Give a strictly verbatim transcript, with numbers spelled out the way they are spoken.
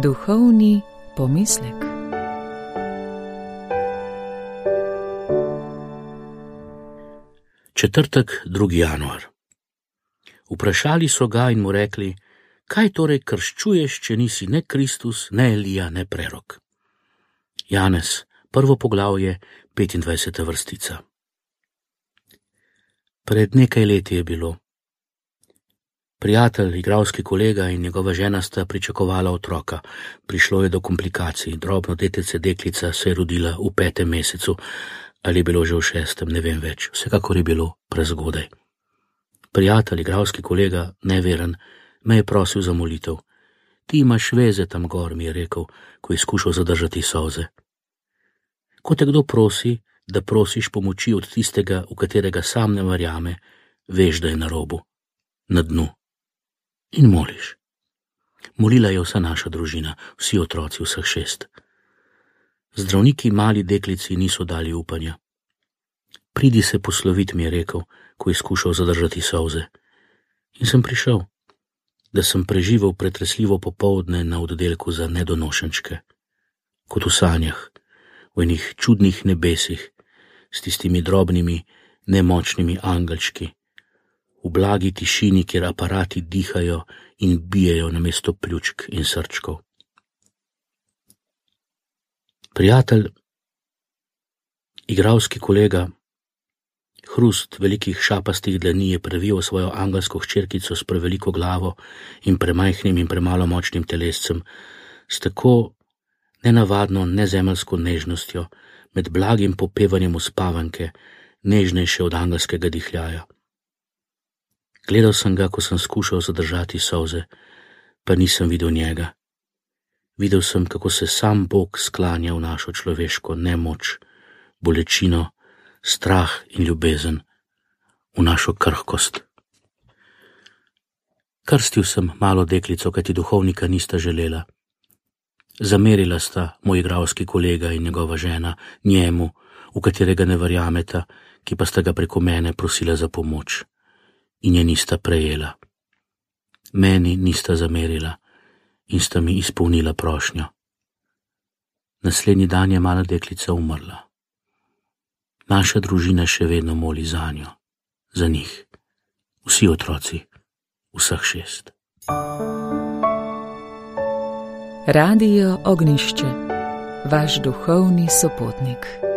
Duhovni pomislek. Četrtek, drugi januar. Vprašali so ga in mu rekli: kaj torej krščuješ, če nisi ne Kristus, ne Elija, ne prerok? Janez, prvo poglavje, petindvajseta vrstica. Pred nekaj leti je bilo. Prijatelj, igralski kolega in njegova žena sta pričakovala otroka. Prišlo je do komplikacij, drobno detece deklica se je rodila v petem mesecu, ali je bilo že v šestem, ne vem več, vsekakor je bilo prezgodaj. Prijatelj, igralski kolega, neveren, me je prosil za molitev. Ti imaš veze tam gor, mi je rekel, ko je skušal zadržati solze. Ko te kdo prosi, da prosiš pomoči od tistega, v katerega sam ne verjame, veš, da je na robu, na dnu. In moliš. Molila je vsa naša družina, vsi otroci, vseh šest. Zdravniki mali deklici niso dali upanja. Pridi se poslovit, mi je rekel, ko je skušal zadržati solze. In sem prišel, da sem preživel pretresljivo popoldne na oddelku za nedonošenčke, kot v sanjah, v enih čudnih nebesih, s tistimi drobnimi, nemočnimi angelčki, v blagi tišini, kjer aparati dihajo in bijejo namesto pljučk in srčkov. Prijatelj, igralski kolega, hrust velikih šapastih dlani je previjal svojo angelsko hčerkico s preveliko glavo in premajhnim in premalo močnim telescem, s tako nenavadno nezemeljsko nežnostjo, med blagim popevanjem uspavanke, nežnejše od angelskega dihljaja. Gledal sem ga, ko sem skušal zadržati solze, pa nisem videl njega. Videl sem, kako se sam Bog sklanja v našo človeško nemoč, bolečino, strah in ljubezen, v našo krhkost. Krstil sem malo deklico, kajti duhovnika nista želela. Zamerila sta moj igralski kolega in njegova žena njemu, v katerega ne verjameta, ki pa sta ga preko mene prosila za pomoč. In je nista prejela. Meni nista zamerila in sta mi izpolnila prošnjo. Naslednji dan je mala deklica umrla. Naša družina še vedno moli zanjo, za njih, vsi otroci, vseh šest. Radio Ognjišče, vaš duhovni sopotnik.